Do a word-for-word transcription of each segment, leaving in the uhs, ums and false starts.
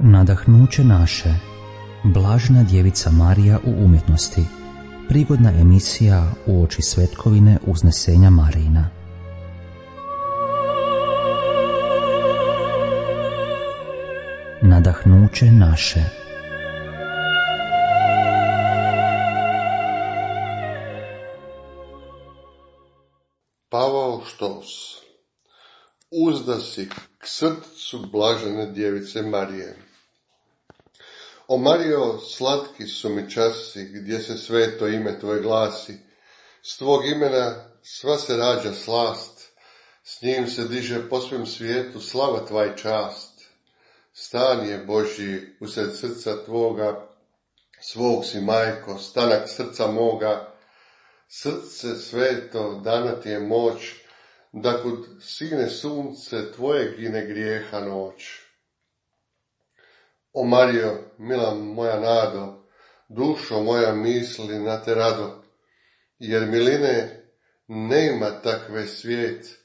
Nadahnuće naše, Blažena djevica Marija u umjetnosti, prigodna emisija uoči svetkovine uznesenja Marijina. Nadahnuće naše. Pavao Štos. Uzda si k srcu Blažene djevice Marije. O Marijo, slatki su mi časi, gdje se sveto ime tvoje glasi. S tvog imena sva se rađa slast, s njim se diže po svem svijetu slava tva i čast. Stan je Božji usred srca tvoga, svog si majko, stanak srca moga. Srce sveto, dana ti je moć, da kud sine sunce tvoje gine grijeha noć. O Marijo, mila moja nado, dušo moja misli na te rado, jer miline nema takve svijet,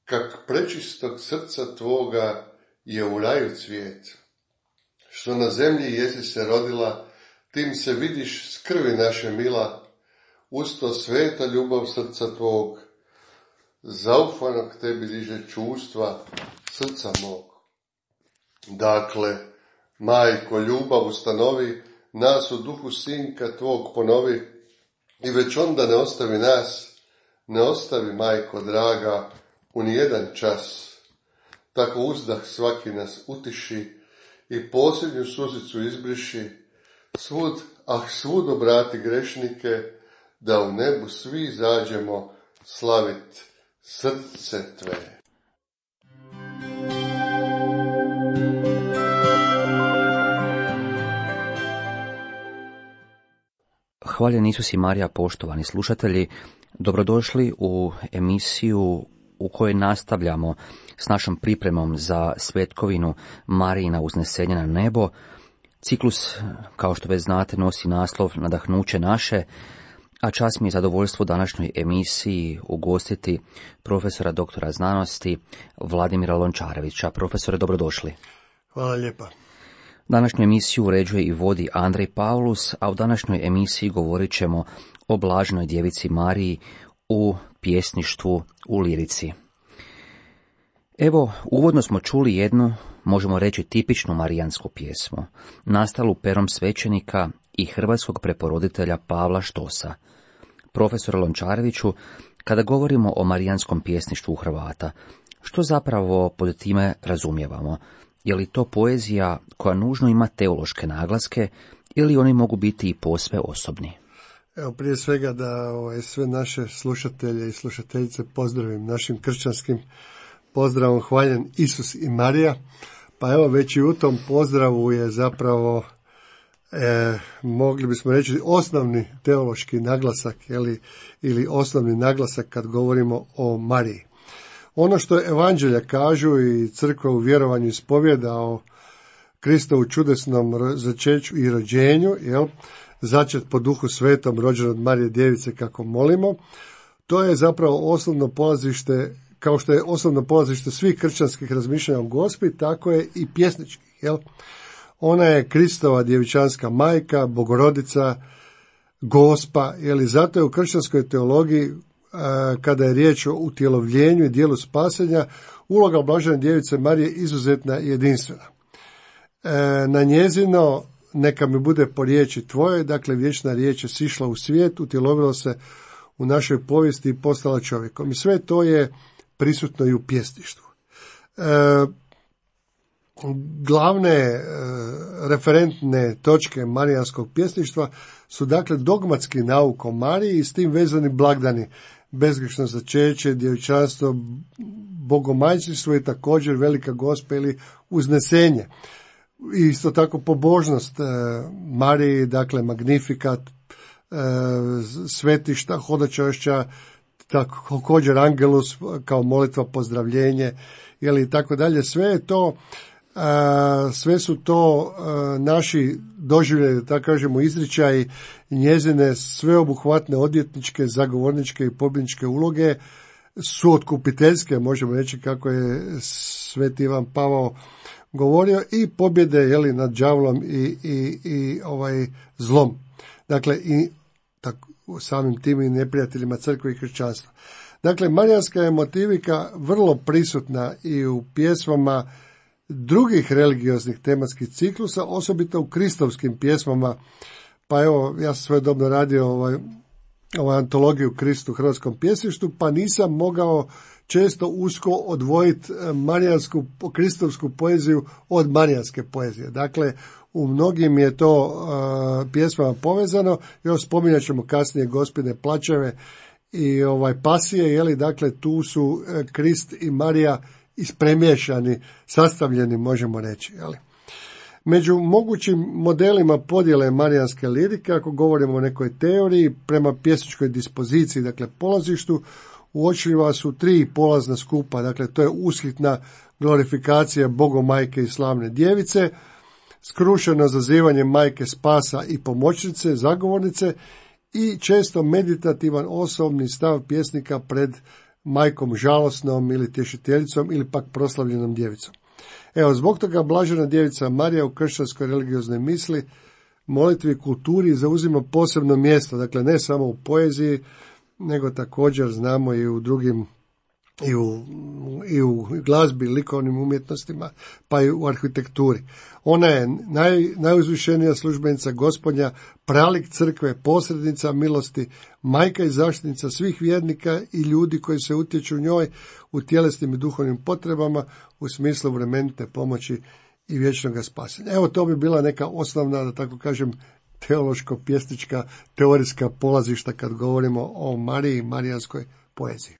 kak prečistog srca tvoga je u raju cvijet. Što na zemlji jesi se rodila, tim se vidiš s krvi naše mila, usto sveta ljubav srca tvog, zaufanog tebi diže čustva srca mog. Dakle, majko, ljubav ustanovi, nas u duhu sinka tvog ponovi, i već onda ne ostavi nas, ne ostavi, majko draga, u nijedan čas. Tako uzdah svaki nas utiši i posljednju suzicu izbriši, svud, ah svud obrati grešnike, da u nebu svi zađemo slavit srce tvoje. Hvaljen Isus i Marija, poštovani slušatelji, dobrodošli u emisiju u kojoj nastavljamo s našom pripremom za svetkovinu Marijina uznesenja na nebo. Ciklus, kao što već znate, nosi naslov Nadahnuće naše, a čast mi je zadovoljstvo u današnjoj emisiji ugostiti profesora doktora znanosti Vladimira Lončarevića. Profesore, dobrodošli. Hvala lijepa. Današnju emisiju uređuje i vodi Andrej Paulus, a u današnjoj emisiji govorit ćemo o Blaženoj djevici Mariji u pjesništvu, u lirici. Evo, uvodno smo čuli jednu, možemo reći, tipičnu marijansku pjesmu, nastalu perom svećenika i hrvatskog preporoditelja Pavla Štosa. Profesor Lončareviću, kada govorimo o marijanskom pjesništvu Hrvata, što zapravo pod time razumijevamo? Je li to poezija koja nužno ima teološke naglaske ili oni mogu biti i posve osobni? Evo, prije svega da ovaj, sve naše slušatelje i slušateljice pozdravim našim kršćanskim pozdravom hvaljen Isus i Marija. Pa evo, već i u tom pozdravu je zapravo E, mogli bismo reći osnovni teološki naglasak ili, ili osnovni naglasak kad govorimo o Mariji. Ono što evanđelja kažu i crkva u vjerovanju ispovjeda o Kristovu čudesnom začeću i rođenju, jel, začet po duhu svetom, rođen od Marije djevice kako molimo, to je zapravo osnovno polazište, kao što je osnovno polazište svih kršćanskih razmišljanja o Gospi, tako je i pjesničkih, jel. Ona je Kristova djevičanska majka, bogorodica, Gospa, jeli zato je u kršćanskoj teologiji, kada je riječ o utjelovljenju i dijelu spasenja, uloga Blažene djevice Marije izuzetna i jedinstvena. Na njezino, neka mi bude po riječi tvoje, dakle vječna riječ je sišla u svijet, utjelovila se u našoj povijesti i postala čovjekom. I sve to je prisutno i u pjesništvu. Glavne e, referentne točke marijanskog pjesništva su dakle dogmatski nauk o Mariji i s tim vezani blagdani, bezgrešno začeće, djevičanstvo, bogomajčinstvo i također velika Gospa ili uznesenje. Isto tako pobožnost e, Mariji, dakle magnifikat, e, svetišta, hodočašća, također angelus kao molitva, pozdravljenje, ili tako dalje. Sve je to A, sve su to a, naši doživljeni, da tako kažemo, izričaji njezine sveobuhvatne odvjetničke, zagovorničke i pobjedničke uloge, su otkupiteljske, možemo reći kako je sveti Ivan Pavao govorio, i pobjede, jeli, nad đavlom i, i, i ovaj zlom. Dakle, i tako, samim tim i neprijateljima crkve i kršćanstva. Dakle, marijanska je motivika vrlo prisutna i u pjesmama drugih religioznih tematskih ciklusa, osobito u kristovskim pjesmama. Pa evo, ja sam svojedobno radio ovaj, ovaj antologiju Kristu u hrvatskom pjesništvu, pa nisam mogao često usko odvojiti marijansku, kristovsku poeziju od marijanske poezije. Dakle, u mnogim je to uh, pjesmama povezano, još spominjat ćemo kasnije Gospine plačeve i ovaj pasije, jeli, dakle tu su uh, Krist i Marija ispremiješani, sastavljeni, možemo reći, jeli. Među mogućim modelima podjele marijanske lirike, ako govorimo o nekoj teoriji, prema pjesničkoj dispoziciji, dakle polazištu, uočljiva su tri polazna skupa, dakle to je ushitna glorifikacija Bogomajke i slavne djevice, skrušeno zazivanje majke spasa i pomoćnice, zagovornice, i često meditativan osobni stav pjesnika pred majkom žalosnom ili tješiteljicom ili pak proslavljenom djevicom. Evo, zbog toga blažena djevica Marija u kršćanskoj religioznoj misli, molitvi i kulturi zauzima posebno mjesto, dakle ne samo u poeziji, nego također znamo i u drugim, i u, i u glazbi, likovnim umjetnostima, pa i u arhitekturi. Ona je naj, najuzvišenija službenica Gospodnja, pralik crkve, posrednica milosti, majka i zaštitnica svih vjernika i ljudi koji se utječu njoj u tjelesnim i duhovnim potrebama u smislu vremenite pomoći i vječnog spasenja. Evo, to bi bila neka osnovna, da tako kažem, teološko-pjesnička, teorijska polazišta kad govorimo o Mariji i marijanskoj poeziji.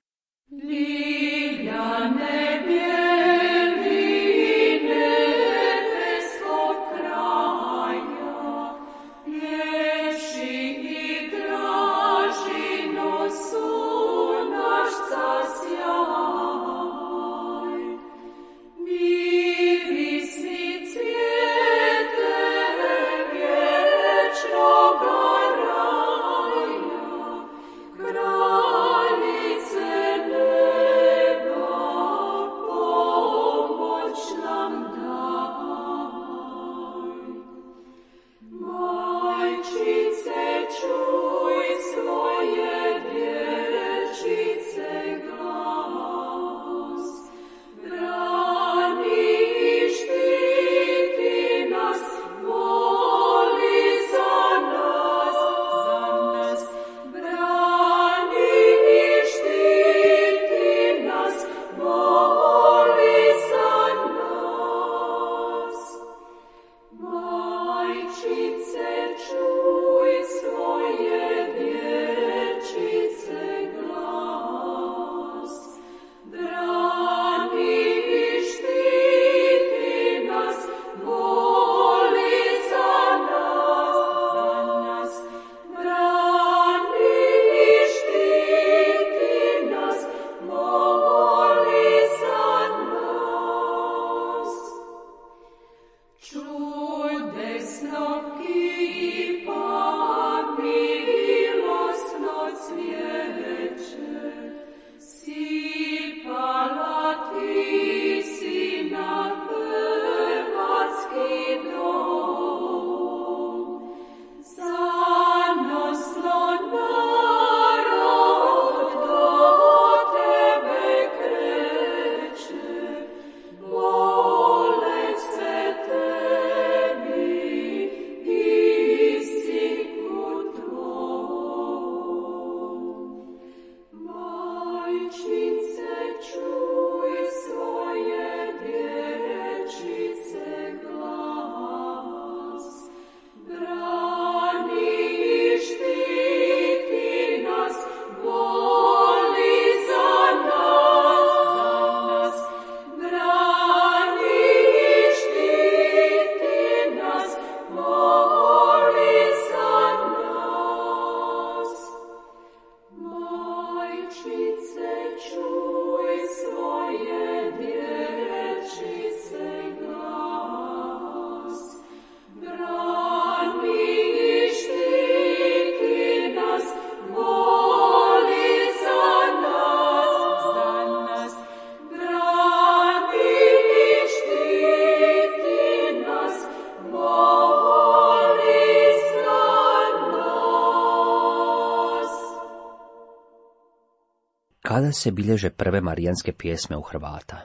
Kada se bilježe prve marijanske pjesme u Hrvata?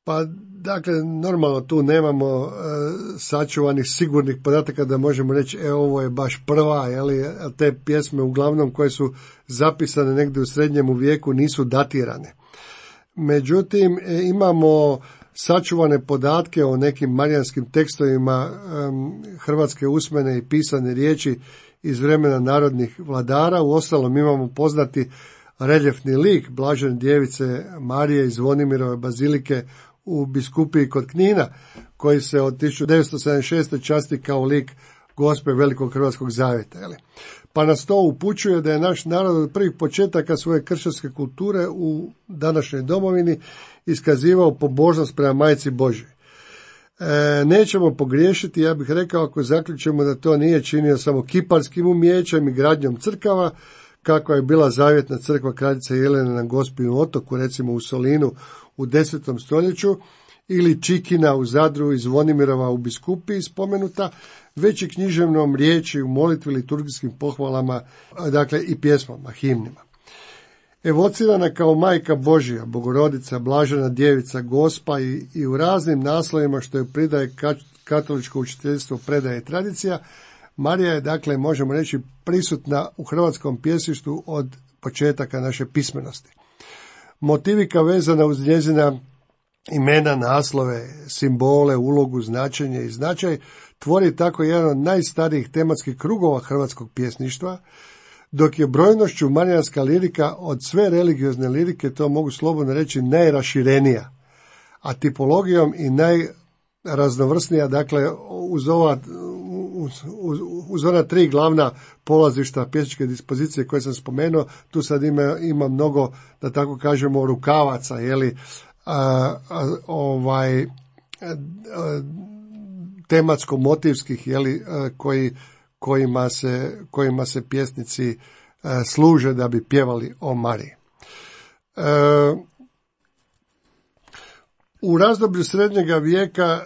Pa, dakle, normalno tu nemamo e, sačuvanih sigurnih podataka da možemo reći, e, ovo je baš prva, jeli, te pjesme uglavnom koje su zapisane negdje u srednjemu vijeku nisu datirane. Međutim, e, imamo sačuvane podatke o nekim marijanskim tekstovima e, hrvatske usmene i pisane riječi iz vremena narodnih vladara. Uostalom imamo poznati reljefni lik Blažene djevice Marije iz Zvonimirove bazilike u biskupiji kod Knina, koji se od tisuću devetsto sedamdeset šeste časti kao lik Gospe Velikog Hrvatskog zavjeta. Jeli? Pa nas to upućuje da je naš narod od prvih početaka svoje kršćanske kulture u današnjoj domovini iskazivao pobožnost prema Majci Božjoj. E, nećemo pogriješiti, ja bih rekao, ako zaključimo da to nije činio samo kiparskim umijećem i gradnjom crkava, kako je bila zavjetna crkva kraljice Jelene na Gospinu otoku, recimo u Solinu u desetom stoljeću, ili Čikina u Zadru i Zvonimirova u biskupiji spomenuta, već i književnom riječi u molitvi, liturgijskim pohvalama, dakle i pjesmama, himnima. Evocirana kao majka Božja, Bogorodica, Blažena djevica, Gospa i, i u raznim naslovima što je pridaje katoličko učiteljstvo, predaje i tradicija, Marija je, dakle, možemo reći, prisutna u hrvatskom pjesništvu od početaka naše pismenosti. Motivika vezana uz njezina imena, naslove, simbole, ulogu, značenje i značaj tvori tako jedan od najstarijih tematskih krugova hrvatskog pjesništva, dok je brojnošću marijanska lirika od sve religiozne lirike, to mogu slobodno reći, najraširenija, a tipologijom i najraznovrsnija, dakle, uz ova Uz, uz, uz ona tri glavna polazišta pjesničke dispozicije koje sam spomenuo, tu sad ima, ima mnogo, da tako kažemo, rukavaca, jeli, a, a, ovaj, a, tematsko-motivskih, jeli, a, koji, kojima, se, kojima se pjesnici a, služe da bi pjevali o Mariji. A, U razdoblju srednjega vijeka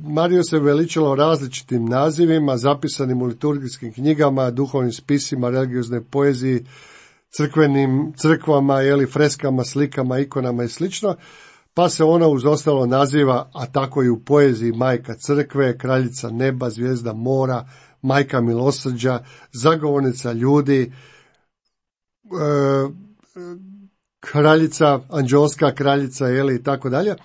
Mariju se veličalo različitim nazivima, zapisanim u liturgijskim knjigama, duhovnim spisima, religioznoj poeziji, crkvenim crkvama, jeli, freskama, slikama, ikonama i slično, pa se ona uz ostalo naziva, a tako i u poeziji, majka crkve, kraljica neba, zvijezda mora, majka milosrđa, zagovornica ljudi, e, kraljica, anđelska kraljica, jeli, i tako dalje.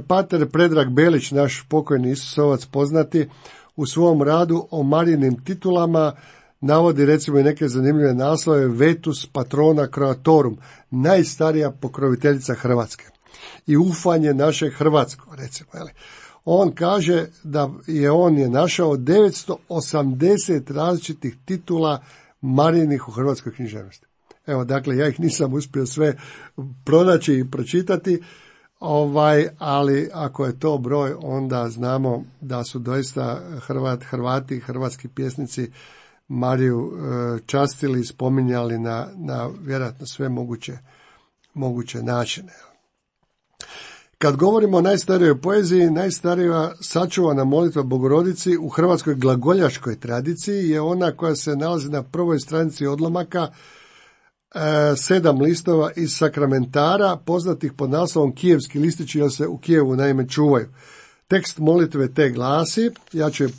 Pater Predrag Belić, naš pokojni Isusovac poznati, u svom radu o Marijinim titulama navodi recimo i neke zanimljive naslove: Vetus patrona Croatorum, najstarija pokroviteljica Hrvatske, i ufanje naše Hrvatsko, recimo. Jeli. On kaže da je on je našao devetsto osamdeset različitih titula Marijinih u hrvatskoj književnosti. Evo, dakle, ja ih nisam uspio sve pronaći i pročitati, ovaj, ali ako je to broj, onda znamo da su doista Hrvat, Hrvati, hrvatski pjesnici Mariju e, častili i spominjali na, na vjerojatno sve moguće, moguće načine. Kad govorimo o najstarijoj poeziji, najstarija sačuvana molitva Bogorodici u hrvatskoj glagoljaškoj tradiciji je ona koja se nalazi na prvoj stranici odlomaka, sedam listova iz sakramentara, poznatih pod naslovom Kijevski listići, jer se u Kijevu naime čuvaju. Tekst molitve te glasi, ja ću je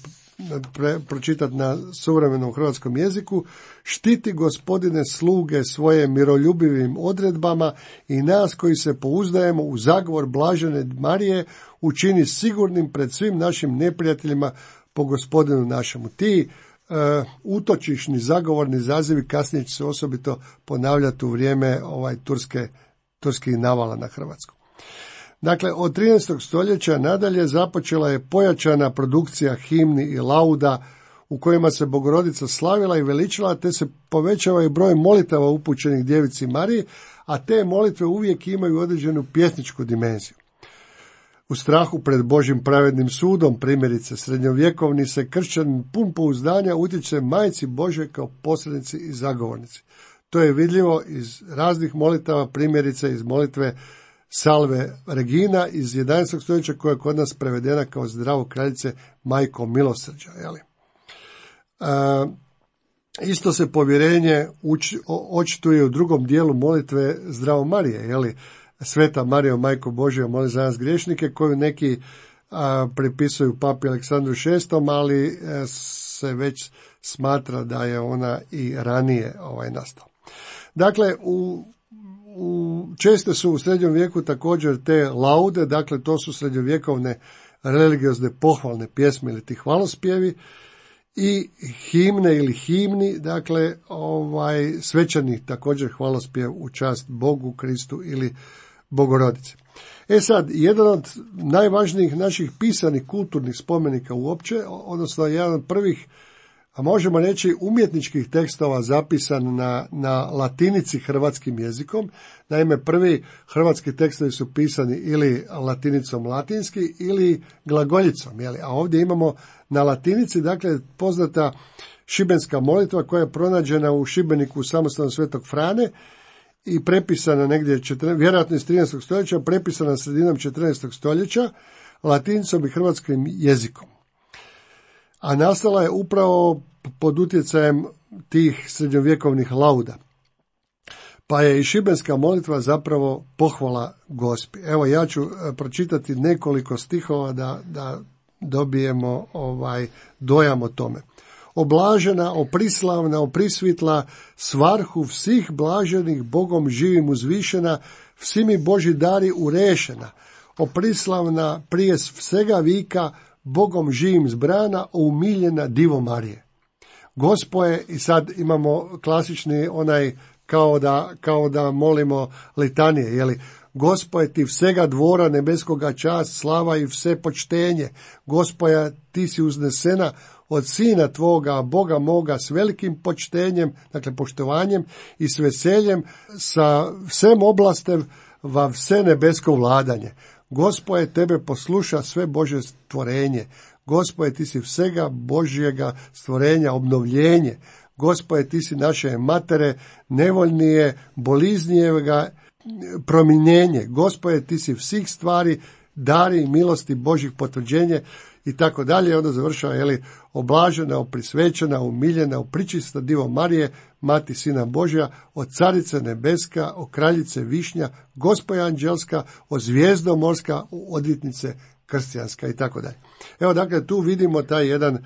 pre, pročitati na suvremenom hrvatskom jeziku: štiti, Gospodine, sluge svoje miroljubivim odredbama i nas koji se pouzdajemo u zagovor Blažene Marije učini sigurnim pred svim našim neprijateljima po Gospodinu našemu. Ti Uh, utočišni, zagovorni zazivi kasnije će se osobito ponavljati u vrijeme ovaj turske, turskih navala na Hrvatsku. Dakle, od trinaestog stoljeća nadalje započela je pojačana produkcija himni i lauda u kojima se Bogorodica slavila i veličila, te se povećava i broj molitava upućenih djevici Mariji, a te molitve uvijek imaju određenu pjesničku dimenziju. U strahu pred Božjim pravednim sudom, primjerice srednjovjekovni se kršćanin pun pouzdanja utječe Majci Božjoj kao posrednici i zagovornici. To je vidljivo iz raznih molitava, primjerice iz molitve Salve Regina iz jedanaestog stoljeća, koja je kod nas prevedena kao Zdravo kraljice, majko milosrđa. Jeli? A, Isto se povjerenje uč, očituje u drugom dijelu molitve Zdravo Marije, jeli, Sveta Marijo, Majko Božja, moli za nas griješnike, koju neki a, pripisuju papi Aleksandru šestom, ali a, se već smatra da je ona i ranije ovaj nastala. Dakle, u, u, česte su u srednjem vijeku također te laude, dakle to su srednjovjekovne religiozne pohvalne pjesme ili ti hvalospjevi, i himne ili himni, dakle ovaj svečani također hvalospjev u čast Bogu, Kristu ili Bogorodici. E sad, jedan od najvažnijih naših pisanih kulturnih spomenika uopće, odnosno jedan od prvih, a možemo reći umjetničkih tekstova zapisan na, na latinici hrvatskim jezikom. Naime, prvi hrvatski tekstovi su pisani ili latinicom latinski ili glagoljicom, jeli? A ovdje imamo na latinici, dakle, poznata šibenska molitva koja je pronađena u Šibeniku u samostanu Svetog Frane i prepisana negdje, vjerojatno iz trinaestog stoljeća, prepisana sredinom četrnaestog stoljeća latinicom i hrvatskim jezikom. A nastala je upravo pod utjecajem tih srednjovjekovnih lauda. Pa je i šibenska molitva zapravo pohvala Gospi. Evo, ja ću pročitati nekoliko stihova da, da dobijemo ovaj dojam o tome. Oblažena, oprislavna, oprisvitla, svarhu vsih blaženih, Bogom živim uzvišena, vsi mi Boži dari urešena, oprislavna, prije svega vika, Bogom živim zbrana, umiljena Divo Marije. Gospo je, i sad imamo klasični onaj kao da, kao da molimo litanije, jeli, Gospo je ti vsega dvora nebeskoga čast, slava i vse počtenje. Gospoja, ti si uznesena od sina tvoga, Boga moga, s velikim počtenjem, dakle poštovanjem i s veseljem, sa vsem oblastev va vse nebesko vladanje. Gospoje, tebe posluša sve Božje stvorenje. Gospoje, ti si vsega Božjega stvorenja obnovljenje. Gospoje, ti si naše matere, nevoljnije, boliznijega prominjenje. Gospoje, ti si svih stvari, dari milosti Božjih potvrđenje i tako dalje. Onda završava, jeli, oblažena, oprisvećena, umiljena, upričista Divo Marije, mati Sina Božja, od carice nebeska, o kraljice višnja, Gospoja anđelska, o zvijezdo morska, odvjetnice krstijanska i tako dalje. Evo, dakle, tu vidimo taj jedan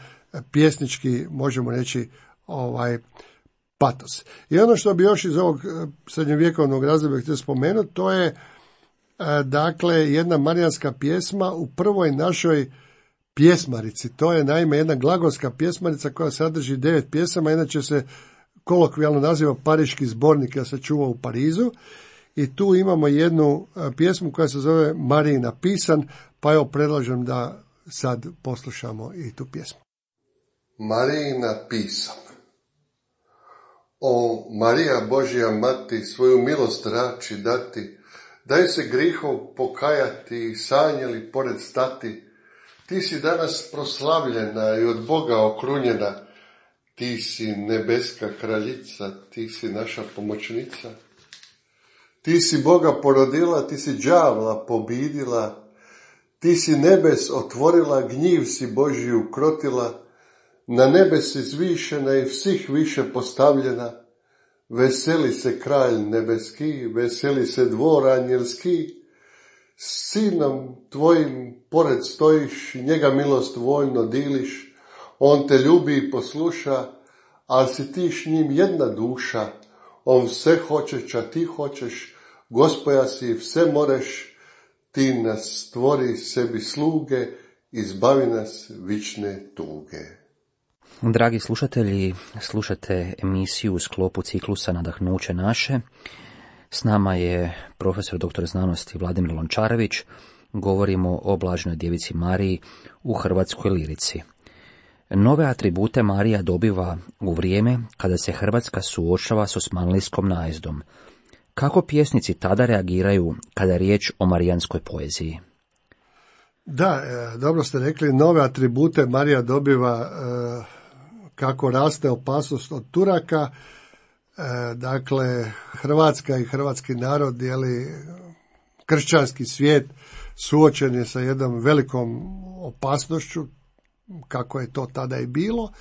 pjesnički, možemo reći, ovaj patos. I ono što bi još iz ovog srednjovjekovnog razdoblja htio spomenuti, to je dakle jedna marijanska pjesma u prvoj našoj pjesmarici. To je naime jedna glagolska pjesmarica koja sadrži devet pjesama, inače se kolokvijalno naziva Pariški zbornik, ja se čuva u Parizu. I tu imamo jednu pjesmu koja se zove Marijina pisan, pa evo predlažem da sad poslušamo i tu pjesmu. Marijina pisan. O Marija Božja mati, svoju milost rači dati, daj se grihov pokajati i sanjeli pored stati. Ti si danas proslavljena i od Boga okrunjena, ti si nebeska kraljica, ti si naša pomoćnica. Ti si Boga porodila, ti si đavla pobidila, ti si nebes otvorila, gnjiv si Božji ukrotila, na nebes izvišena i svih više postavljena. Veseli se kralj nebeski, veseli se dvor anjelski, sinom tvojim pored stojiš i njega milost voljno diliš, on te ljubi i posluša, ali si ti s njim jedna duša, on sve hoćeš, a ti hoćeš, Gospoja si vse moreš, ti nas stvori sebi sluge, izbavi nas vične tuge. Dragi slušatelji, slušate emisiju u sklopu ciklusa Nadahnuće naše. S nama je profesor doktor znanosti Vladimir Lončarević. Govorimo o blaženoj djevici Mariji u hrvatskoj lirici. Nove atribute Marija dobiva u vrijeme kada se Hrvatska suočava s osmanlijskom najezdom. Kako pjesnici tada reagiraju kada je riječ o marijanskoj poeziji? Da, dobro ste rekli, nove atribute Marija dobiva kako raste opasnost od Turaka. Dakle, Hrvatska i hrvatski narod, jeli, kršćanski svijet suočen je sa jednom velikom opasnošću, kako je to tada i bilo.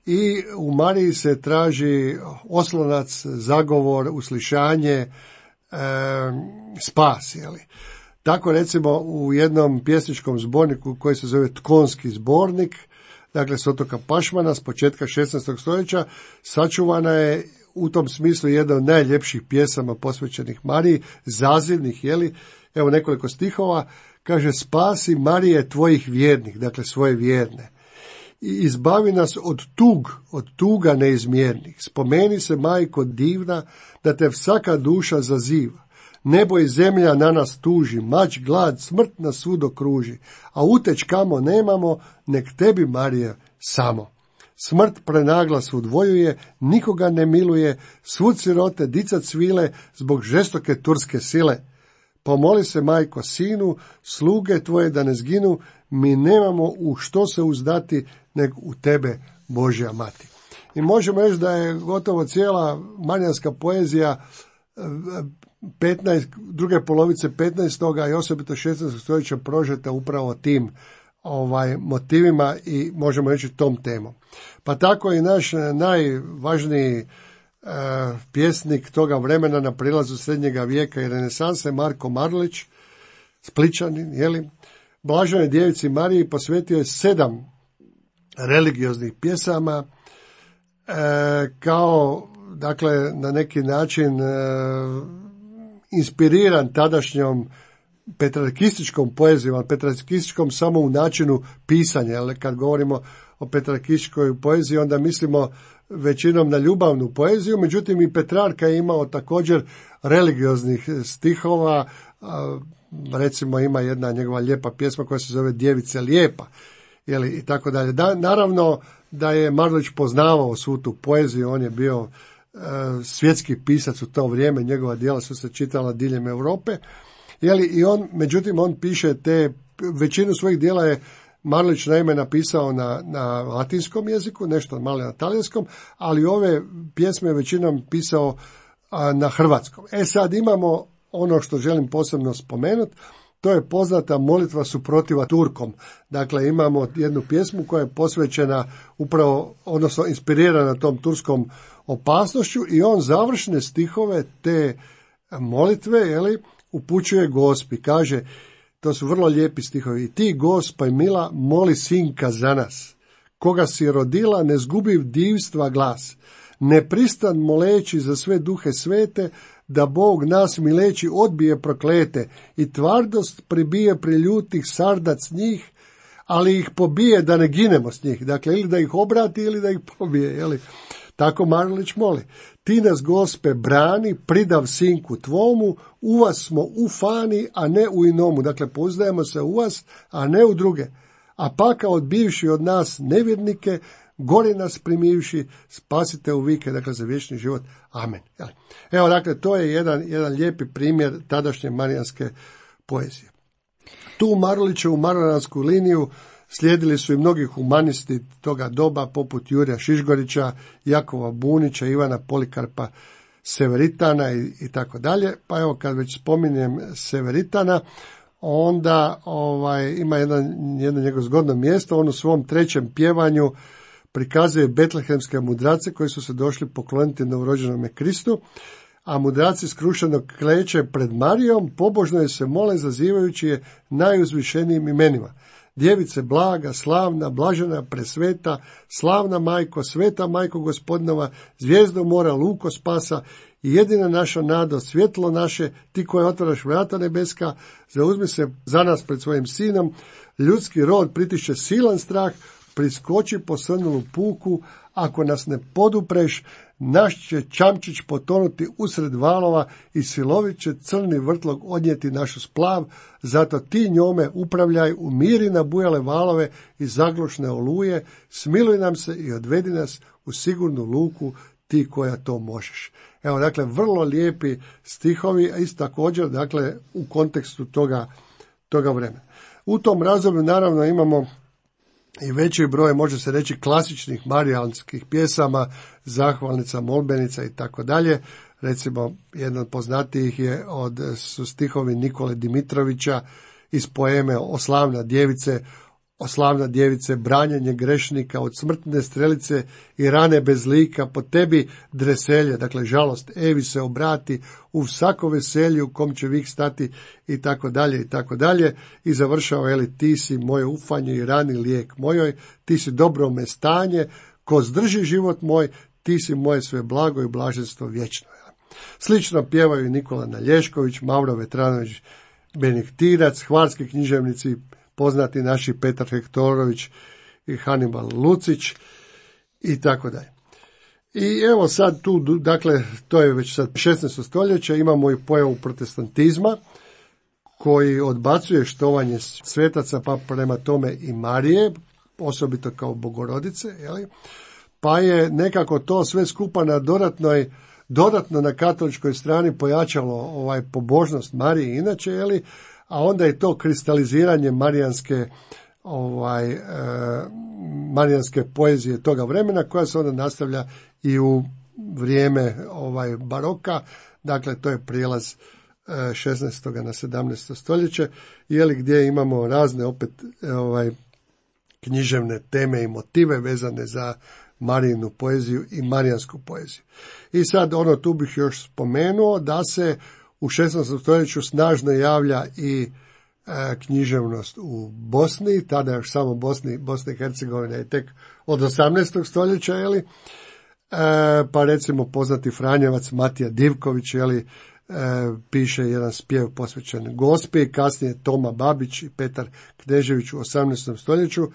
i u Mariji se traži oslonac, zagovor, uslišanje, e, spas, jeli. Tako recimo u jednom pjesničkom zborniku koji se zove Tkonski zbornik, dakle s otoka Pašmana s početka šesnaestog stoljeća, sačuvana je u tom smislu jedna od najljepših pjesama posvećenih Mariji, zazivnih, jeli, evo nekoliko stihova, kaže: spasi Marije tvojih vjernih, dakle svoje vjerne, i izbavi nas od tug, od tuga neizmjernih. Spomeni se, majko divna, da te svaka duša zaziva. Nebo i zemlja na nas tuži, mač, glad, smrt nas svud okruži, a uteć kamo nemamo, nek tebi, Marija, samo. Smrt prenagla svud vojuje, nikoga ne miluje, svud sirote, dica cvile, zbog žestoke turske sile. Pomoli se, majko, sinu, sluge tvoje da ne zginu, mi nemamo u što se uzdati, nego u tebe, Božja mati. I možemo reći da je gotovo cijela marijanska poezija petnaest, druge polovice petnaestog i osobito šesnaestog stoljeća prožeta upravo tim ovaj motivima i možemo reći tom temom. Pa tako i naš najvažniji e, pjesnik toga vremena na prilazu srednjega vijeka i renesanse, Marko Marulić, Splićanin, jeli, Blaženoj djevici Mariji posvetio je sedam religioznih pjesama, e, kao, dakle, na neki način e, inspiriran tadašnjom petrarkističkom poezijom, ali petrarkističkom samo u načinu pisanja, jer kad govorimo o petrarkističkoj poeziji, onda mislimo većinom na ljubavnu poeziju, međutim i Petrarka je imao također religioznih stihova, recimo ima jedna njegova lijepa pjesma koja se zove Djevice lijepa, jeli, i tako dalje. Da, naravno da je Marulić poznavao svu tu poeziju, on je bio uh, svjetski pisac u to vrijeme, njegova djela su se čitala diljem Europe, jeli, i on, međutim, on piše te, većinu svojih djela je Marulić naime napisao na, na latinskom jeziku, nešto malo na talijanskom, ali ove pjesme većinom pisao a, na hrvatskom. E sad imamo ono što želim posebno spomenuti, to je poznata molitva suprotiva Turkom. Dakle, imamo jednu pjesmu koja je posvećena upravo, odnosno inspirirana tom turskom opasnošću, i on završne stihove te molitve, jeli, upućuje Gospi. Kaže, to su vrlo lijepi stihovi: i ti, Gospa mila, moli sinka za nas, koga si rodila, ne zgubiv divstva glas, ne pristan moleći za sve duhe svete, da Bog nas mileći odbije proklete i tvardost pribije priljutih sardac njih, ali ih pobije da ne ginemo s njih. Dakle, ili da ih obrati ili da ih pobije, jeli? Tako Marulić moli. Ti nas, Gospe, brani, pridav sinku tvomu, u vas smo ufani, a ne u inomu. Dakle, pouzdajemo se u vas, a ne u druge. A paka odbivši od nas nevjernike, gori nas primivši, spasite u vike, dakle, za vječni život. Amen. Evo, dakle, to je jedan, jedan lijepi primjer tadašnje marijanske poezije. Tu Marulićevu marijansku liniju slijedili su i mnogi humanisti toga doba, poput Jurija Šišgorića, Jakova Bunića, Ivana Polikarpa Severitana i, i tako dalje. Pa evo, kad već spominjem Severitana, onda ovaj, ima jedan, jedno njegovo zgodno mjesto. On u svom trećem pjevanju prikazuje betlehemske mudrace koji su se došli pokloniti novorođenome Kristu, a mudraci skrušeno kleče pred Marijom, pobožno je se mole, zazivajući je najuzvišenijim imenima. Djevice blaga, slavna, blažena, presveta, slavna majko, sveta majko Gospodinova, zvijezdo mora, luko spasa, i jedina naša nada, svjetlo naše, ti koje otvaraš vrata nebeska, zauzmi se za nas pred svojim sinom, ljudski rod pritišće silan strah, priskoči po srnulu puku, ako nas ne podupreš, naš će čamčić potonuti usred valova i silovit će crni vrtlog odnijeti našu splav, zato ti njome upravljaj, umiri na bujale valove i zaglušne oluje, smiluj nam se i odvedi nas u sigurnu luku, ti koja to možeš. Evo, dakle, vrlo lijepi stihovi, a isto također, dakle, u kontekstu toga, toga vremena. U tom razdoblju, naravno, imamo i veći broj, može se reći, klasičnih marijanskih pjesama, zahvalnica, molbenica i tako dalje. Recimo, jedan od poznatijih je od, su stihovi Nikole Dimitrovića iz poeme O slavna djevice, o slavna djevice, branjenje grešnika od smrtne strelice i rane bez lika, po tebi dreselje, dakle žalost, Evi se obrati u svako veselje u kom će vik stati i tako dalje i tako dalje i završava, eli, ti si moje ufanje i rani lijek mojoj, ti si dobro me stanje, ko zdrži život moj, ti si moje sve blago i blaženstvo vječno. Slično pjevaju Nikola Nalješković, Mauro Vetranović, Benektirac, hvarski književnici, poznati naši Petar Hektorović i Hannibal Lucić i tako dalje. I evo sad tu, dakle, to je već sad šesnaesto stoljeće, imamo i pojavu protestantizma koji odbacuje štovanje svetaca, pa prema tome i Marije, osobito kao Bogorodice, jeli? Pa je nekako to sve skupa na dodatnoj, dodatno na katoličkoj strani pojačalo ovaj pobožnost Marije inače, jeli? A onda je to kristaliziranje marijanske ovaj e, marijanske poezije toga vremena, koja se onda nastavlja i u vrijeme ovaj baroka, dakle to je prijelaz e, šesnaestog na sedamnaesto stoljeće, jeli, gdje imamo razne opet ovaj književne teme i motive vezane za Marijinu poeziju i marijansku poeziju. I sad ono tu bih još spomenuo da se u šesnaestom stoljeću snažno javlja i e, književnost u Bosni, tada još samo Bosni, Bosna i Hercegovina je tek od osamnaestog stoljeća, jeli, e, pa recimo poznati Franjevac Matija Divković, jeli, e, piše jedan spjev posvećen Gospi, kasnije Toma Babić i Petar Knežević u osamnaestom stoljeću,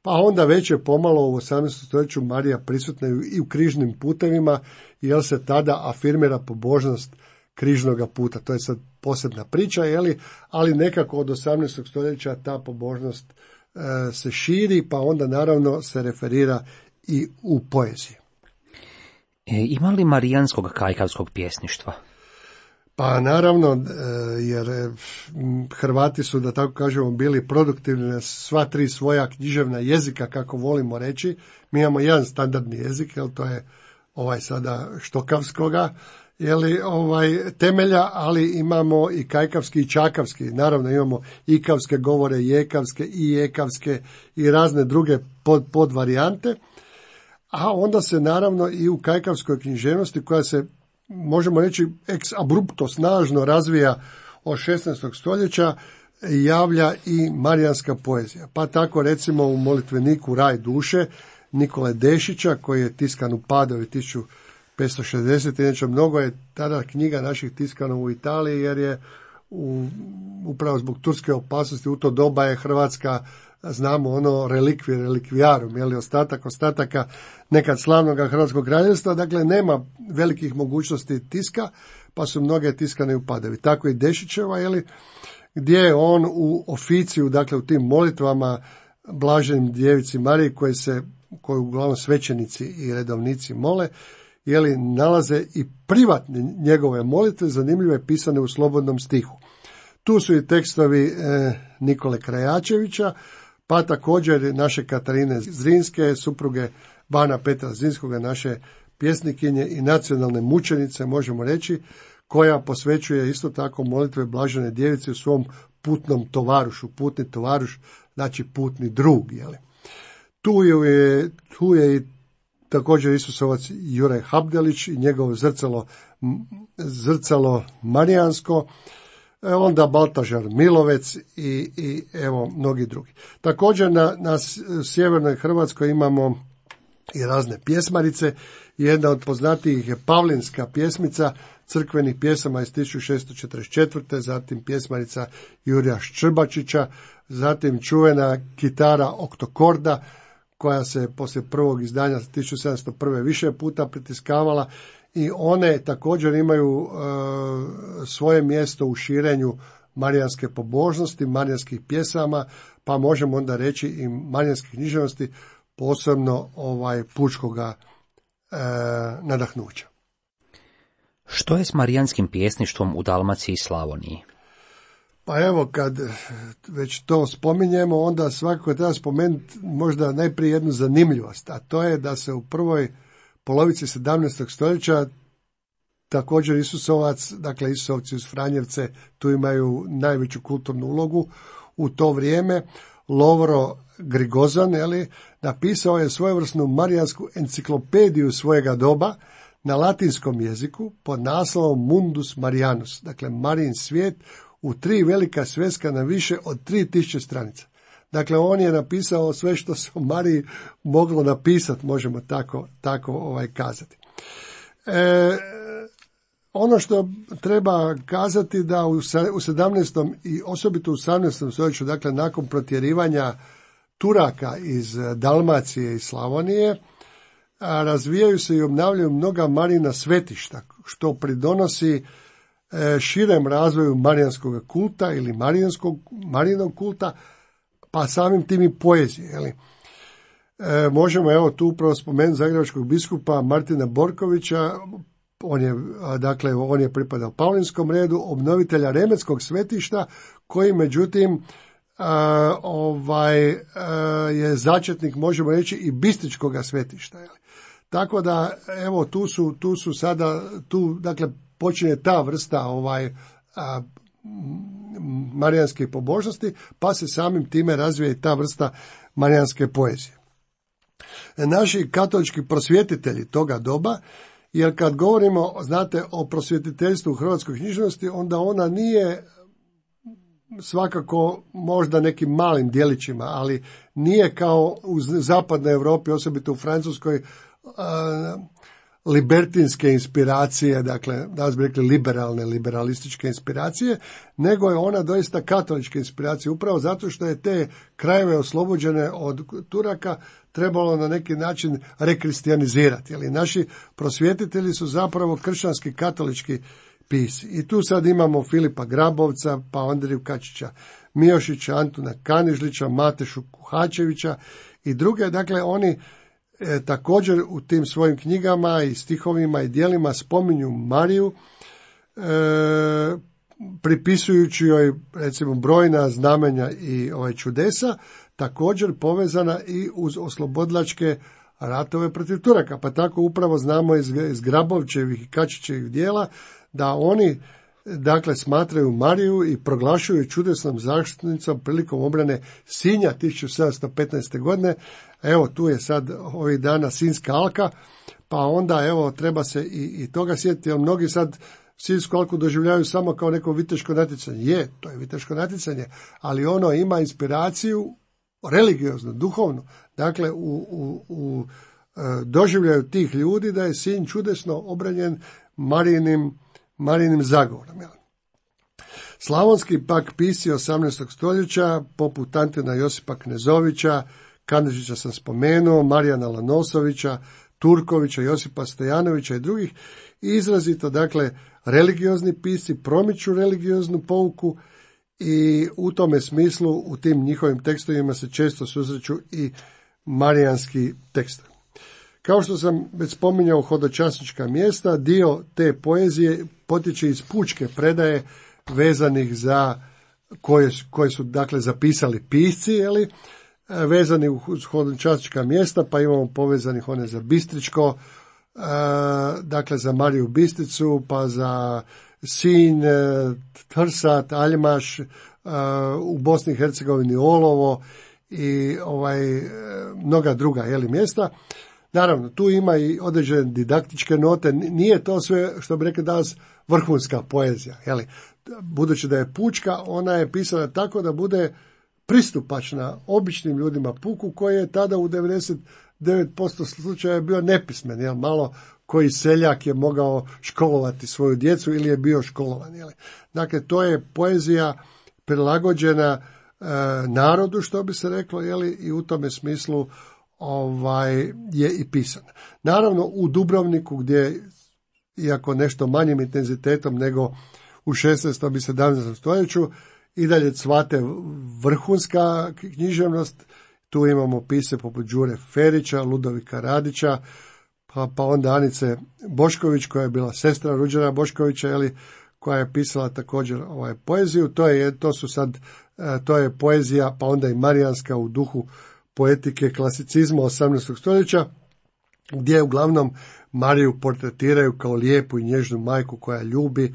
pa onda već je pomalo u osamnaestom stoljeću Marija prisutna i u križnim putevima, jer se tada afirmira pobožnost križnoga puta. To je sad posebna priča, jeli, ali nekako od osamnaestog stoljeća ta pobožnost e, se širi, pa onda naravno se referira i u poeziji. E, ima li marijanskog kajkavskog pjesništva? Pa naravno, e, jer e, Hrvati su, da tako kažemo, bili produktivni na sva tri svoja književna jezika, kako volimo reći. Mi imamo jedan standardni jezik, jel, to je ovaj sada štokavskoga, jeli, ovaj, temelja, ali imamo i kajkavski i čakavski. Naravno imamo ikavske govore, jekavske i jekavske i razne druge pod, pod varijante. A onda se naravno i u kajkavskoj književnosti, koja se, možemo reći, ex abrupto snažno razvija od šesnaestog stoljeća, javlja i marijanska poezija. Pa tako recimo u molitveniku Raj duše Nikole Dešića, koji je tiskan u Padovi tisuću petsto šezdeset. Inače, mnogo je tada knjiga naših tiskano u Italiji, jer je u, upravo zbog turske opasnosti u to doba je Hrvatska, znamo ono, relikvi, relikvijarum, jeli, ostatak ostataka nekad slavnog hrvatskog kraljevstva, dakle nema velikih mogućnosti tiska, pa su mnoge tiskane u Padovi. Tako i Dešićeva, jeli, gdje je on u oficiju, dakle u tim molitvama Blaženim djevici Mariji, koje se, koju uglavnom svećenici i redovnici mole, jeli, nalaze i privatne njegove molitve, zanimljive, pisane u slobodnom stihu. Tu su i tekstovi e, Nikole Krajačevića, pa također naše Katarine Zrinske, supruge Bana Petra Zrinskoga, naše pjesnikinje i nacionalne mučenice, možemo reći, koja posvećuje isto tako molitve Blažene djevice u svom putnom tovarušu. Putni tovaruš znači putni drug. Jeli. Tu je, tu je i također Isusovac Juraj Habdelić i njegovo zrcalo, zrcalo marijansko, onda Baltažar Milovec i, i evo mnogi drugi. Također na, na sjevernoj Hrvatskoj imamo i razne pjesmarice. Jedna od poznatijih je Pavlinska pjesmica crkvenih pjesama iz tisuću šessto četrdeset četvrte. Zatim pjesmarica Jurija Ščrbačića, zatim čuvena kitara Oktokorda, koja se poslije prvog izdanja tisuću sedamsto prve više puta pritiskavala, i one također imaju e, svoje mjesto u širenju marijanske pobožnosti, marijanskih pjesama, pa možemo onda reći i marijanske književnosti, posebno ovaj pučkoga e, nadahnuća. Što je s marijanskim pjesništvom u Dalmaciji i Slavoniji? Pa evo, kad već to spominjemo, onda svakako treba spomenuti možda najprije jednu zanimljivost, a to je da se u prvoj polovici sedamnaestog stoljeća također Isusovac, dakle Isusovci uz Franjevce, tu imaju najveću kulturnu ulogu u to vrijeme, Lovro Grigozan, jeli, napisao je svojevrsnu marijansku enciklopediju svojega doba na latinskom jeziku pod naslovom Mundus Marianus, dakle Marijin svijet, u tri velika sveska na više od tri tisuće stranica. Dakle, on je napisao sve što se o Mariji moglo napisati, možemo tako, tako ovaj, kazati. E, ono što treba kazati da u sedamnaestom i osobito u osamnaestom stoljeću, dakle nakon protjerivanja Turaka iz Dalmacije i Slavonije, razvijaju se i obnavljaju mnoga Marijina svetišta, što pridonosi širem razvoju marijanskog kulta ili marijanskog, marijinog kulta, pa samim tim i poezije. Jeli. E, možemo evo tu upravo spomenuti zagrebačkog biskupa Martina Borkovića, on je, dakle, on je pripadao Paulinskom redu, obnovitelja Remetskog svetišta, koji međutim a, ovaj, a, je začetnik, možemo reći, i Bistričkog svetišta. Jeli. Tako da, evo, tu su, tu su sada, tu, dakle, počinje ta vrsta ovaj, a, marijanske pobožnosti, pa se samim time razvija i ta vrsta marijanske poezije. Naši katolički prosvjetitelji toga doba, jer kad govorimo, znate, o prosvjetiteljstvu u hrvatskoj književnosti, onda ona nije svakako možda nekim malim djelićima, ali nije kao u zapadnoj Europi, osobito u Francuskoj, a, libertinske inspiracije, dakle, da bi rekli liberalne, liberalističke inspiracije, nego je ona doista katolička inspiracija, upravo zato što je te krajeve oslobođene od Turaka trebalo na neki način rekristijanizirati. Jeli, naši prosvjetitelji su zapravo kršćanski katolički pisci. I tu sad imamo Filipa Grabovca, pa Andriju Kačića Mijošića, Antuna Kanižlića, Matešu Kuhačevića i druge. Dakle, oni E, također u tim svojim knjigama i stihovima i djelima spominju Mariju, e, pripisujući joj recimo brojna znamenja i ovaj čudesa, također povezana i uz oslobodilačke ratove protiv Turaka. Pa tako upravo znamo iz, iz Grabovčevih i Kačićevih djela da oni, dakle, smatraju Mariju i proglašuju čudesnom zaštitnicom prilikom obrane Sinja tisuću sedamsto petnaeste. godine. Evo, tu je sad ovih dana Sinjska alka, pa onda evo treba se i, i toga sjetiti, jer mnogi sad Sinjsku alku doživljavaju samo kao neko viteško natjecanje. Je, to je viteško natjecanje, ali ono ima inspiraciju religioznu, duhovnu. Dakle, u, u, u doživljaju tih ljudi da je Sinj čudesno obranjen Marijinim, Marijinim zagovorom. Jel? Slavonski pak pisci osamnaestog stoljeća, poput Antina Josipa Knezovića, Kanižića sam spomenuo, Marijana Lanosovića, Turkovića, Josipa Stojanovića i drugih, izrazito, dakle, religiozni pisci promiču religioznu pouku i u tome smislu u tim njihovim tekstovima se često susreću i marijanski tekstovi. Kao što sam već spominjao hodočasnička mjesta, dio te poezije potječe iz pučke predaje vezanih za koje, koje su, dakle, zapisali pisci, jeli, vezani uz hodočasnička mjesta, pa imamo povezanih one za Bistričko, dakle za Mariju Bistricu, pa za Sinj, Trsat, Aljmaš, u Bosni i Hercegovini Olovo i ovaj mnoga druga, jeli, mjesta. Naravno, tu ima i određene didaktičke note, nije to sve, što bi rekli danas, vrhunska poezija. Jeli. Budući da je pučka, ona je pisana tako da bude pristupačna običnim ljudima puku, koji je tada u devedeset devet posto slučaja bio nepismen, jel, malo koji seljak je mogao školovati svoju djecu ili je bio školovan. Jel. Dakle, to je poezija prilagođena e, narodu, što bi se reklo, jel, i u tome smislu ovaj je i pisana. Naravno, u Dubrovniku, gdje, iako nešto manjim intenzitetom nego u šesnaestom i sedamnaestom stoljeću, i dalje cvate vrhunska književnost. Tu imamo pise poput Đure Ferića, Ludovika Radića, pa, pa onda Anice Bošković, koja je bila sestra Ruđera Boškovića, jeli, koja je pisala također ovaj poeziju. To je, to su sad, to je poezija, pa onda i marijanska u duhu poetike klasicizma osamnaestog stoljeća, gdje uglavnom Mariju portretiraju kao lijepu i nježnu majku koja ljubi,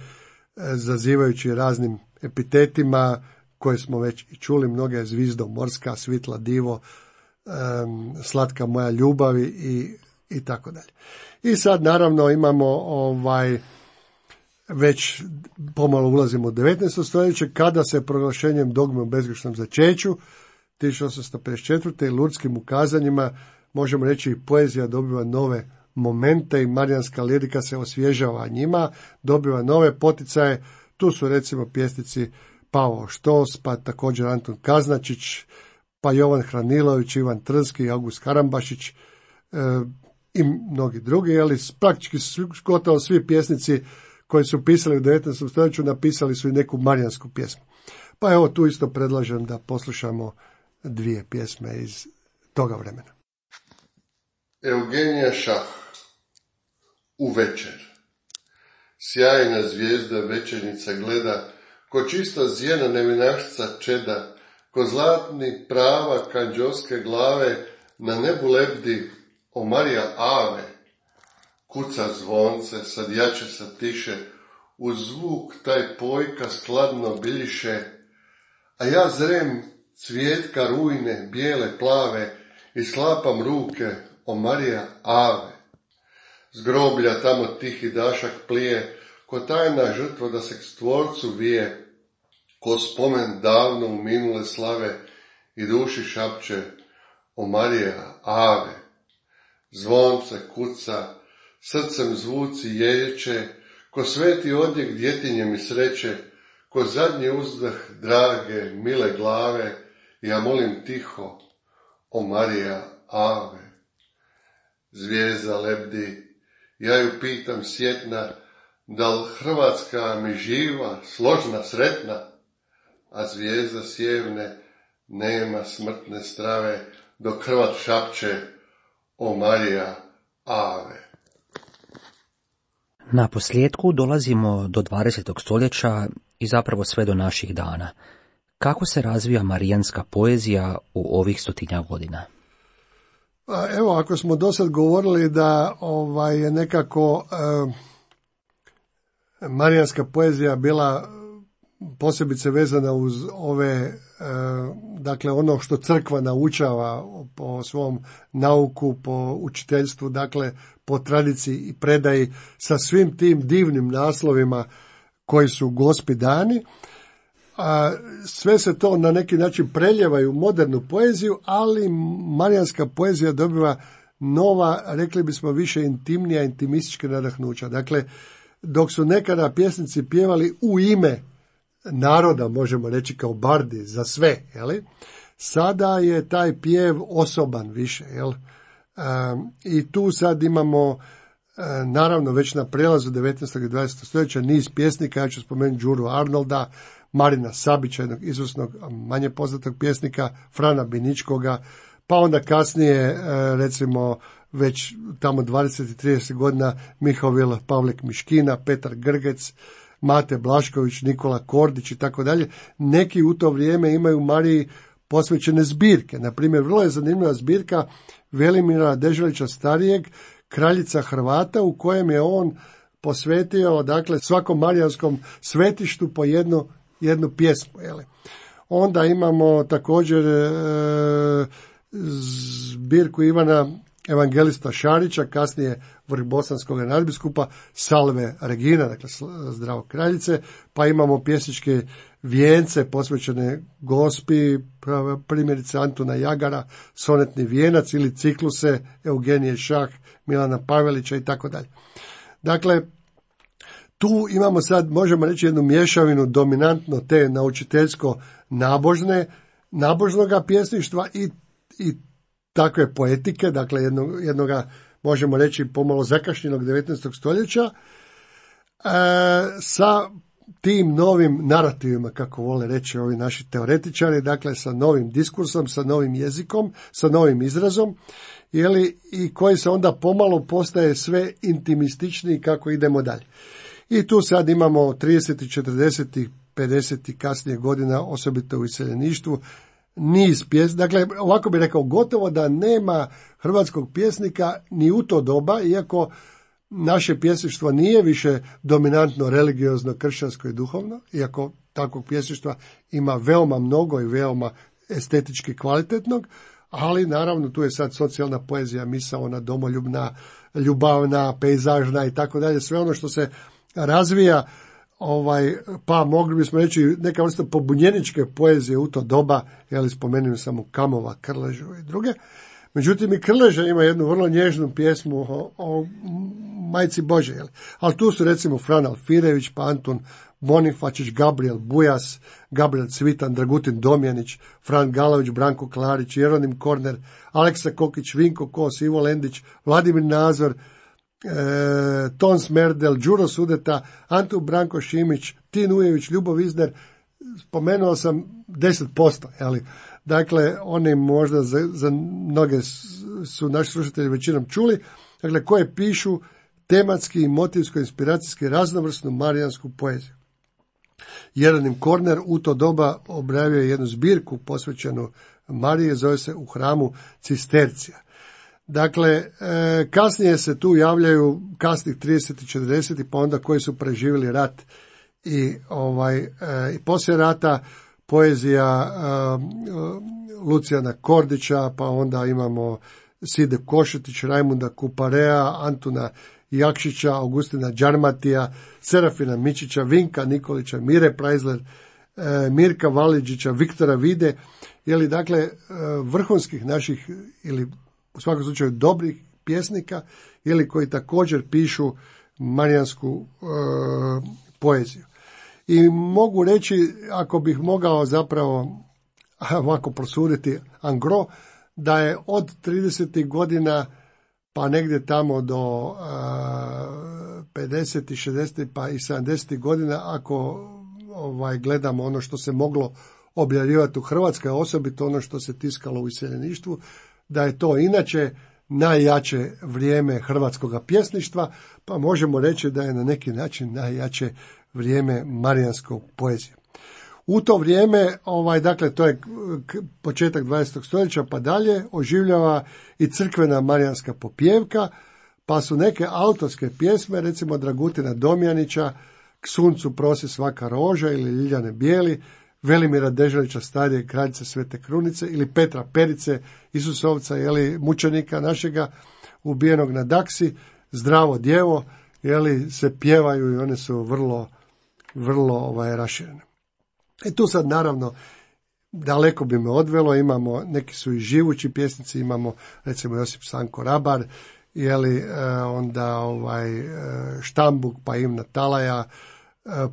zazivajući raznim epitetima koje smo već i čuli, mnoge Zvizdo morska, Svitla divo, um, Slatka moja ljubavi i, i tako dalje. I sad naravno imamo ovaj već pomalo ulazimo u devetnaesto stoljeće, kada se proglašenjem dogme o bezgrešnom začeću tisuću osamsto pedeset četvrte i Lurdskim ukazanjima, možemo reći, poezija dobiva nove momente i marijanska lirika se osvježava njima, dobiva nove poticaje. Tu su recimo pjesnici Pavao Štos, pa također Anton Kaznačić, pa Jovan Hranilović, Ivan Trnski, August Karambašić e, i mnogi drugi, ali praktički gotovo svi pjesnici koji su pisali u devetnaestom stoljeću napisali su i neku marijansku pjesmu. Pa evo tu isto predlažem da poslušamo dvije pjesme iz toga vremena. Eugenija Šah, U večer. Sjajna zvijezda večernjica gleda, ko čista zjena nevinašca čeda, ko zlatni prava kanđoske glave, na nebu lebdi o Marija Ave. Kuca zvonce, sad jače, sad tiše, uz zvuk taj pojka skladno biljiše, a ja zrem cvijetka rujne, bijele plave, i slapam ruke o Marija Ave. Z groblja tamo tihi dašak plije, ko tajna žrtva da se k stvorcu vije, ko spomen davno u minule slave i duši šapče o Marija Ave. Zvonce kuca, srcem zvuci jejeće, ko sveti odjek djetinje mi sreće, ko zadnji uzdah drage, mile glave, ja molim tiho o Marija Ave. Zvijezda lebdi, ja ju pitam sjetna, da li Hrvatska mi živa, složna, sretna, a zvijezda sjevne nema smrtne strave, dok Hrvat šapće o Marija Ave. Na posljedku dolazimo do dvadesetog stoljeća i zapravo sve do naših dana. Kako se razvija marijanska poezija u ovih stotinja godina? Evo, ako smo do sad govorili da ovaj, je nekako eh, marijanska poezija bila posebice vezana uz ove, eh, dakle ono što crkva naučava po svom nauku, po učiteljstvu, dakle po tradiciji i predaji sa svim tim divnim naslovima koji su Gospi dani. A sve se to na neki način preljeva u modernu poeziju, ali marijanska poezija dobiva nova, rekli bismo, više intimnija, intimistička nadahnuća. Dakle, dok su nekada pjesnici pjevali u ime naroda, možemo reći kao bardi, za sve, jeli? Sada je taj pjev osoban više, jel? E, i tu sad imamo, e, naravno, već na prelazu devetnaestog i dvadesetog stoljeća niz pjesnika, ja ću spomenuti Đuru Arnolda, Marina Sabića, jednog izvrsnog, manje poznatog pjesnika, Frana Biničkoga, pa onda kasnije, recimo, već tamo dvadeset i trideset godina Mihovil Pavlik Miškina, Petar Grgec, Mate Blašković, Nikola Kordić i tako dalje. Neki u to vrijeme imaju Mariji posvećene zbirke. Na primjer, vrlo je zanimljiva zbirka Velimira Deželića starijeg, Kraljica Hrvata, u kojem je on posvetio, dakle, svakom marijanskom svetištu po jednu jednu pjesmu. Jeli. Onda imamo također e, zbirku Ivana Evangelista Šarića, kasnije vrhbosanskog nadbiskupa, Salve Regina, dakle Zdravo kraljice, pa imamo pjesničke vijence posvećene Gospi, primjerice Antuna Jagara, Sonetni vijenac ili cikluse Eugenije Šah, Milana Pavelića i tako dalje. Dakle, tu imamo sad, možemo reći, jednu mješavinu dominantno te naučiteljsko-nabožne, nabožnoga pjesništva i, i takve poetike, dakle jednog, jednoga, možemo reći, pomalo zakašnjenog devetnaestog stoljeća, e, sa tim novim narativima, kako vole reći ovi naši teoretičari, dakle sa novim diskursom, sa novim jezikom, sa novim izrazom, jeli, i koji se onda pomalo postaje sve intimističniji kako idemo dalje. I tu sad imamo tridesetih, četrdesetih, pedesetih kasnije godina, osobito u iseljeništvu, niz pjesnika. Dakle, ovako bih rekao, gotovo da nema hrvatskog pjesnika ni u to doba, iako naše pjesništvo nije više dominantno religiozno, kršćansko i duhovno, iako takvog pjesništva ima veoma mnogo i veoma estetički kvalitetnog, ali naravno tu je sad socijalna poezija, misaona, domoljubna, ljubavna, pejzažna i tako dalje, sve ono što se razvija, ovaj, pa mogli bismo reći neka vrsta pobunjeničke poezije u to doba, jel spomenuo sam u Kamova, Krležu i druge. Međutim, i Krleža ima jednu vrlo nježnu pjesmu o, o Majci Bože, jel? Ali tu su recimo Fran Alfirević, pa Antun Bonifačić, Gabriel Bujas, Gabriel Cvitan, Dragutin Domjanić, Fran Galović, Branko Klarić, Jeronim Korner, Aleksa Kokić, Vinko Kos, Ivo Lendić, Vladimir Nazor, e, Ton Smerdel, Đuro Sudeta, Antu Branko Šimić, Tin Ujević, Ljubo Vizner. Spomenuo sam deset posto, jeli? Dakle, oni možda za, za mnoge su naši slušatelji većinom čuli, dakle, koje pišu tematski i motivsko-inspiracijski raznovrsnu marijansku poeziju. Jeronim Korner u to doba objavio je jednu zbirku posvećenu Marije, zove se U hramu Cistercija. Dakle, kasnije se tu javljaju kasnih tridesetih i četrdesetih, pa onda koji su preživjeli rat i, ovaj, i poslije rata, poezija Lucijana Kordića, pa onda imamo Side Košetić, Rajmunda Kuparea, Antuna Jakšića, Augustina Đarmatija, Serafina Mičića, Vinka Nikolića, Mire Prajzler, Mirka Valiđića, Viktora Vide, jeli, dakle, vrhunskih naših ili u svakom slučaju dobrih pjesnika, ili koji također pišu marijansku e, poeziju. I mogu reći, ako bih mogao zapravo ovako prosuditi angro, da je od tridesetih godina pa negdje tamo do uh, pedesetih, šezdesetih pa i sedamdesetih godina, ako ovaj, gledamo ono što se moglo objavljivati u Hrvatskoj, osobito ono što se tiskalo u iseljeništvu, da je to inače najjače vrijeme hrvatskoga pjesništva, pa možemo reći da je na neki način najjače vrijeme marijanskog poezije. U to vrijeme, ovaj, dakle, to je početak dvadesetog stoljeća pa dalje, oživljava i crkvena marijanska popjevka, pa su neke autorske pjesme, recimo Dragutina Domjanića, K suncu prosi svaka roža ili Ljiljane Bijeli, Velimira Deželića starije kraljice Svete Krunice ili Petra Perice, Isusovca, jeli, mučenika našega ubijenog na Daksi, Zdravo djevo, jeli, se pjevaju i one su vrlo, vrlo ovaj, raširene. I tu sad naravno daleko bi me odvelo, imamo, neki su i živući pjesnici, imamo recimo Josip Sanko Rabar, jeli, onda ovaj, Štambuk, pa Ivna Talaja,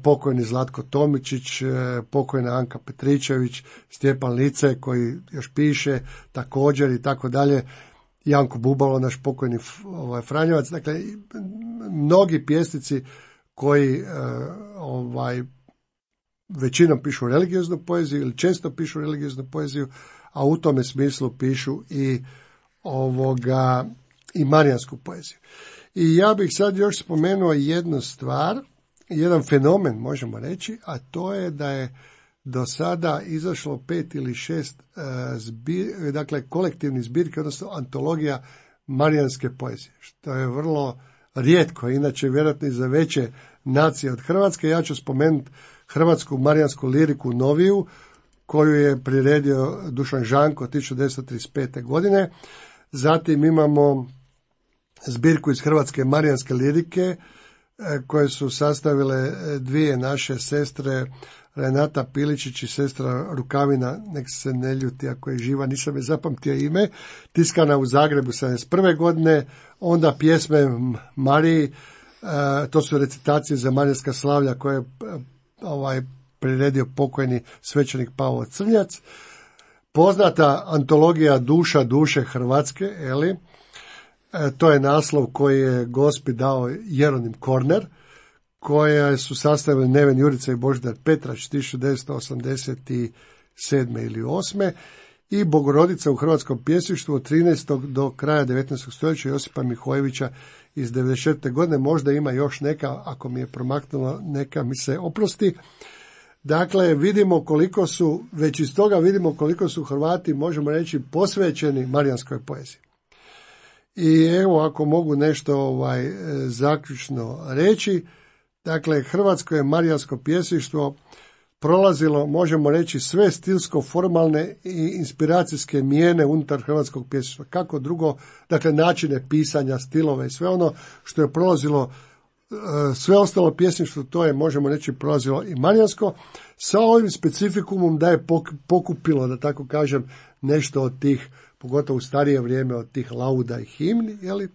pokojni Zlatko Tomičić, pokojna Anka Petričević, Stjepan Lice koji još piše također i tako dalje, Janko Bubalo, naš pokojni ovaj, Franjevac, dakle mnogi pjesnici koji ovaj, većinom pišu religioznu poeziju ili često pišu religioznu poeziju, a u tome smislu pišu i ovoga i marijansku poeziju. I ja bih sad još spomenuo jednu stvar, jedan fenomen možemo reći, a to je da je do sada izašlo pet ili šest uh, zbir, dakle kolektivnih zbirki, odnosno antologija marijanske poezije, što je vrlo rijetko, inače vjerojatno i za veće nacije od Hrvatske. Ja ću spomenuti hrvatsku marijansku liriku noviju, koju je priredio Dušan Žanko tisuću devetsto trideset pete. godine. Zatim imamo zbirku iz hrvatske marijanske lirike, koje su sastavile dvije naše sestre, Renata Piličić i sestra Rukavina, nek se ne ljuti ako je živa, nisam je zapamtio ime, tiskana u Zagrebu sedamdeset prve. godine, onda pjesme Mariji, to su recitacije za marijanska slavlja koje je ovaj, priredio pokojni svećenik Pavao Crnjac, poznata antologija Duša duše Hrvatske, eli, e, to je naslov koji je Gospi dao Jeronim Korner, koje su sastavili Neven Jurica i Božidar Petrač tisuću devetsto osamdeset sedme ili osme. i Bogorodica u hrvatskom pjesništvu od trinaestog do kraja devetnaestog stoljeća Josipa Mihojevića iz devedeset četvrte. godine. Možda ima još neka, ako mi je promaknulo, neka mi se oprosti. Dakle, vidimo koliko su, već iz toga vidimo koliko su Hrvati, možemo reći, posvećeni marijanskoj poeziji. I evo, ako mogu nešto ovaj zaključno reći, dakle, hrvatsko je marijansko pjesništvo prolazilo, možemo reći, sve stilsko-formalne i inspiracijske mijene unutar hrvatskog pjesništva. Kako drugo, dakle, načine pisanja, stilove i sve ono što je prolazilo, sve ostalo pjesništvo, to je, možemo reći, prolazilo i marijansko, sa ovim specifikumom da je pokupilo, da tako kažem, nešto od tih, pogotovo u starije vrijeme, od tih lauda i himni, jeli?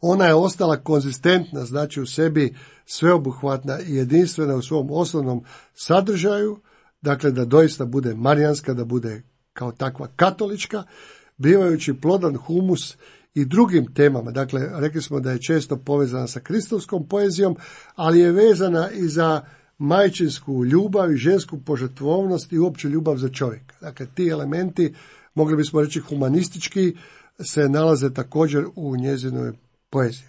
Ona je ostala konzistentna, znači u sebi sveobuhvatna i jedinstvena u svom osnovnom sadržaju, dakle da doista bude marijanska, da bude kao takva katolička, bivajući plodan humus i drugim temama. Dakle, rekli smo da je često povezana sa kristovskom poezijom, ali je vezana i za majčinsku ljubav i žensku požrtvovnost i uopće ljubav za čovjeka. Dakle, ti elementi, mogli bismo reći humanistički, se nalaze također u njezinoj poeziji.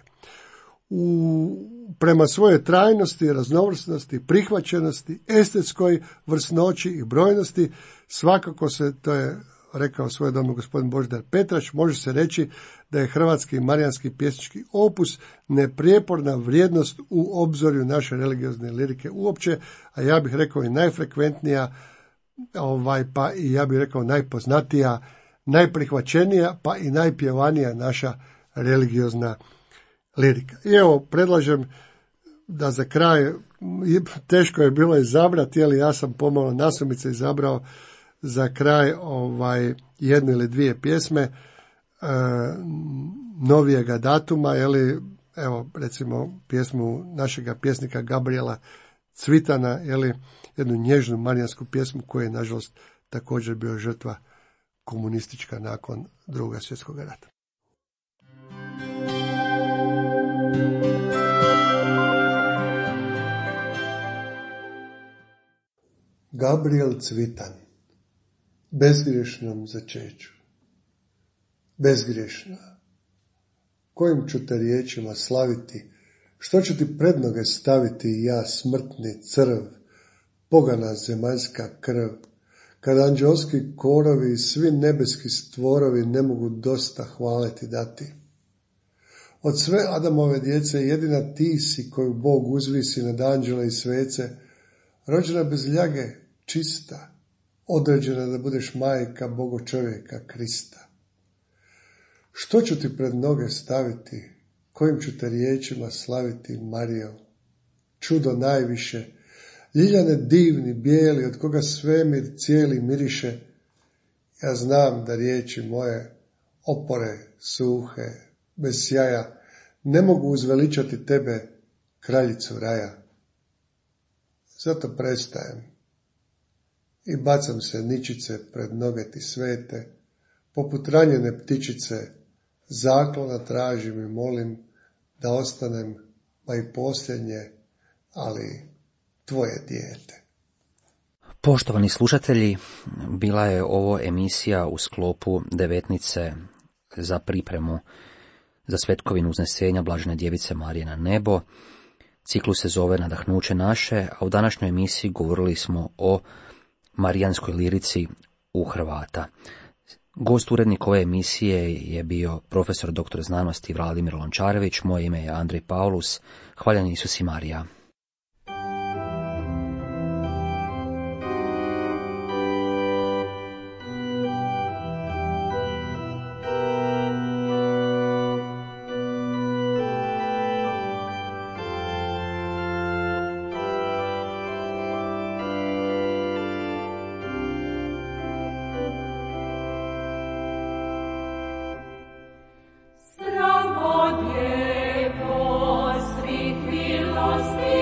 U, prema svojoj trajnosti, raznovrsnosti, prihvaćenosti, estetskoj vrsnoći i brojnosti, svakako se, to je rekao svojedobno gospodin Božidar Petrač, može se reći da je hrvatski marijanski pjesnički opus neprijeporna vrijednost u obzorju naše religiozne lirike uopće, a ja bih rekao i najfrekventnija, ovaj, pa i ja bih rekao najpoznatija, najprihvaćenija, pa i najpjevanija naša religiozna lirika. I evo, predlažem da za kraj, teško je bilo izabrati, ali ja sam pomalo nasumice izabrao za kraj ovaj jednu ili dvije pjesme e, novijega datuma, jeli, evo recimo pjesmu našega pjesnika Gabriela Cvitana, jeli, jednu nježnu marijansku pjesmu koja je nažalost također bio žrtva komunistička nakon Drugog svjetskog rata. Gabriel Cvitan, bezgriješnom začeću. Bezgriješna, kojim ću te riječima slaviti, što ću ti pred noge staviti ja, smrtni crv, pogana zemaljska krv, kad anđelski korovi i svi nebeski stvorovi ne mogu dosta hvale ti dati. Od sve Adamove djece jedina ti si koju Bog uzvisi nad anđele i svece, rođena bez ljage, čista, određena da budeš majka Bogo čovjeka Krista. Što ću ti pred noge staviti, kojim ću te riječima slaviti, Marijo? Čudo najviše, ljiljane divni, bijeli, od koga svemir cijeli miriše. Ja znam da riječi moje, opore, suhe, bez sjaja, ne mogu uzveličati tebe, kraljicu raja. Zato prestajem i bacam se ničice pred noge ti svete, poput ranjene ptičice, zaklona tražim i molim da ostanem, pa i posljednje, ali tvoje dijete. Poštovani slušatelji, bila je ovo emisija u sklopu devetnice za pripremu za svetkovinu uznesenja Blažene djevice Marije na nebo. Ciklus se zove Nadahnuće naše, a u današnjoj emisiji govorili smo o marijanskoj lirici u Hrvata. Gost urednik ove emisije je bio profesor doktor znanosti Vladimir Lončarević, moje ime je Andrej Paulus. Hvaljen Isus i Marija. Stravo djevo svih milosti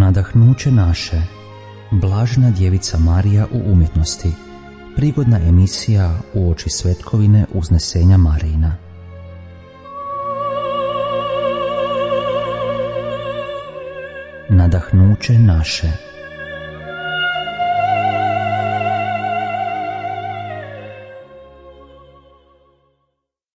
Nadahnuće naše, Blažena djevica Marija u umjetnosti, prigodna emisija uoči svetkovine Uznesenja Marijina. Nadahnuće naše.